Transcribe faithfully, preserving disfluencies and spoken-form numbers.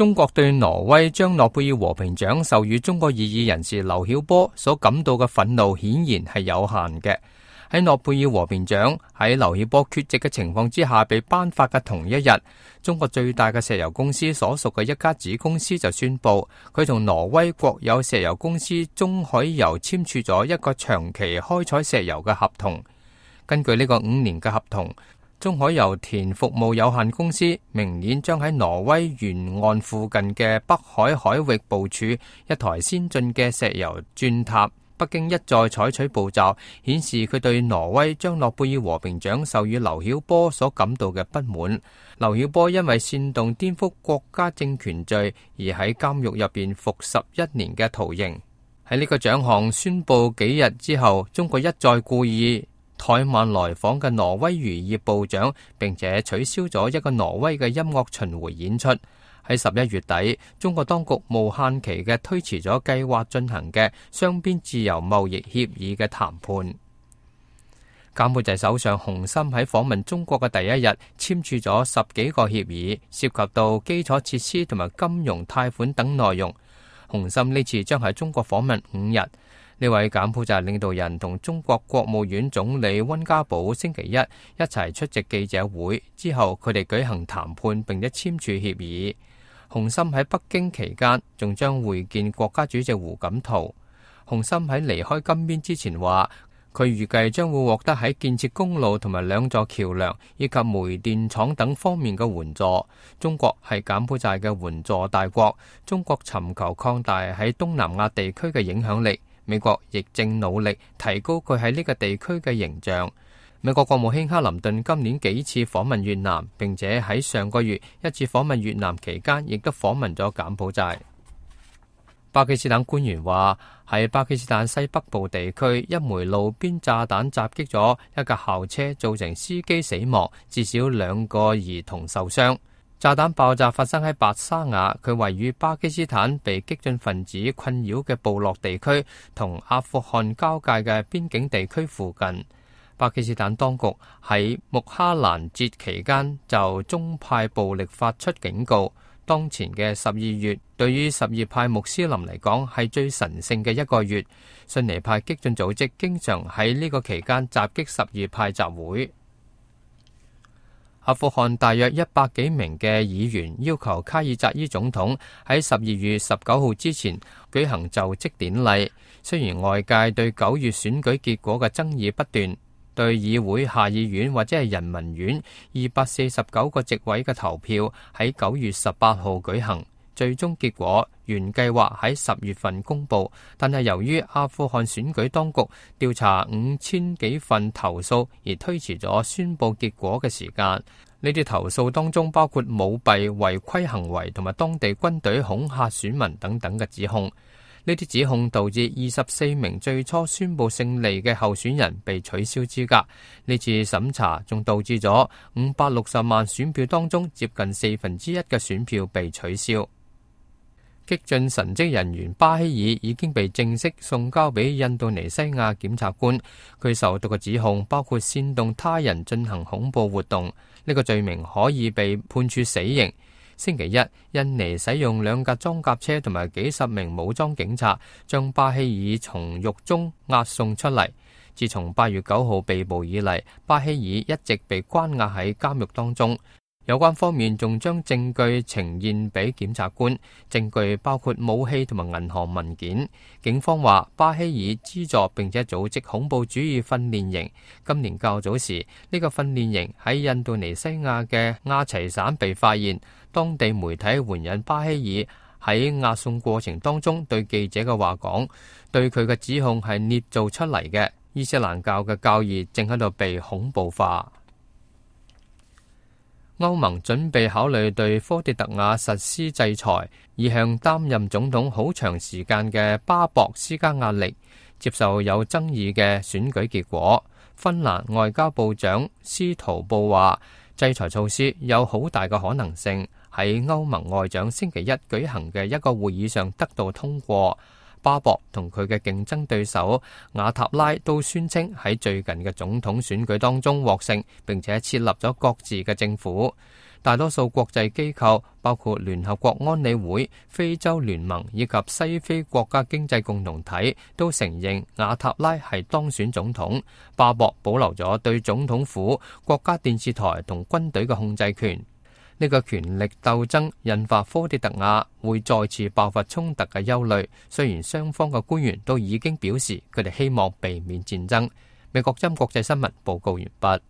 中國對挪威將諾貝爾和平獎授予中國異議人士劉曉波所感到嘅憤怒顯然係有限嘅。喺諾貝爾和平獎喺劉曉波缺席嘅情況之下被頒發嘅同一日，中國最大嘅石油公司所屬嘅一家子公司就宣布，佢同挪威國有石油公司中海油簽署咗一個長期開採石油嘅合同。根據呢個五年嘅合同，中海油田服務有限公司明年將喺挪威沿岸附近嘅北海海域部署一台先進嘅石油鑽塔。北京一再採取步驟，顯示佢對挪威將諾貝爾和平獎授予劉曉波所感到嘅不滿。劉曉波因為煽動顛覆國家政權罪而喺監獄入邊服十一年嘅徒刑。喺呢個獎項宣布幾日之後，中國一再故意怠慢來訪嘅挪威漁業部長，並且取消咗一個挪威嘅音樂巡迴演出。喺十一月底，中國當局無限期嘅推遲咗計劃進行嘅雙邊自由貿易協議嘅談判。柬埔寨首相洪森喺訪問中國嘅第一日簽署咗十幾個協議，涉及到基礎設施同埋金融貸款等內容。洪森呢次將喺中國訪問五日。呢位柬埔寨領導人同中國國務院總理溫家寶星期一一齊出席記者會，之後佢哋舉行談判並且簽署協議。洪森喺北京期間仲將會見國家主席胡錦濤。洪森喺離開金邊之前話，佢預計將會獲得喺建設公路同埋兩座橋樑以及煤電廠等方面嘅援助。中國係柬埔寨嘅援助大國，中國尋求擴大喺東南亞地區嘅影響力。美國亦正努力提高佢喺呢個地區嘅形象。美國國務卿克林頓今年幾次訪問越南，並且喺上個月一次訪問越南期間，亦都訪問咗柬埔寨。巴基斯坦官員話，喺巴基斯坦西北部地區，一枚路邊炸彈襲擊咗一架校車，造成司機死亡，至少兩個兒童受傷。炸彈爆炸發生喺白沙瓦，佢位於巴基斯坦被激進分子困擾嘅部落地區同阿富汗交界嘅邊境地區附近。巴基斯坦當局喺穆哈蘭節期間就宗派暴力發出警告。當前嘅十二月對於什葉派穆斯林嚟講係最神聖嘅一個月，遜尼派激進組織經常喺呢個期間襲擊什葉派集會。阿富汗大約一百幾名嘅議員要求卡爾扎伊總統喺十二月十九號之前舉行就職典禮。雖然外界對九月選舉結果嘅爭議不斷，對議會下議院或者係人民院二百四十九個席位嘅投票喺九月十八號舉行，最終結果原計劃喺十月份公布，但係由於阿富汗選舉當局調查五千幾份投訴而推遲咗宣布結果嘅時間。呢啲投訴當中包括舞弊、違規行為同埋當地軍隊恐嚇選民等等嘅指控。呢啲指控導致二十四名最初宣布勝利嘅候選人被取消資格。呢次審查仲導致咗五百六十萬選票當中接近四分之一嘅選票被取消。激進神職人員巴希爾已經被正式送交俾印度尼西亞檢察官，佢受到嘅指控包括煽動他人進行恐怖活動，呢個罪名可以被判處死刑。星期一，印尼使用兩架裝甲車同埋幾十名武裝警察將巴希爾從獄中押送出嚟。自從八月九號被捕以嚟，巴希爾一直被關押喺監獄當中。有關方面仲將證據呈現俾檢察官，證據包括武器同埋銀行文件。警方話巴希爾資助並且組織恐怖主義訓練營。今年較早時，呢個訓練營喺印度尼西亞嘅亞齊省被發現。當地媒體援引巴希爾喺押送過程當中對記者嘅話講，對佢嘅指控係捏造出嚟嘅。伊斯蘭教嘅教義正喺度被恐怖化。歐盟準備考慮對科迪特瓦實施制裁，以向擔任總統好長時間嘅巴博施加壓力，接受有爭議嘅選舉結果。芬蘭外交部長斯圖布話，制裁措施有好大嘅可能性喺歐盟外長星期一舉行嘅一個會議上得到通過。巴博同佢嘅競爭對手瓦塔拉都宣稱喺最近嘅總統選舉當中獲勝，並且設立咗各自嘅政府。大多數國際機構，包括聯合國安理會、非洲聯盟以及西非國家經濟共同體，都承認瓦塔拉係當選總統。巴博保留咗對總統府、國家電視台同軍隊嘅控制權。呢個權力鬥爭引發科迪特瓦會再次爆發衝突嘅憂慮。雖然雙方嘅官員都已經表示佢哋希望避免戰爭。美國之音國際新聞報告完畢。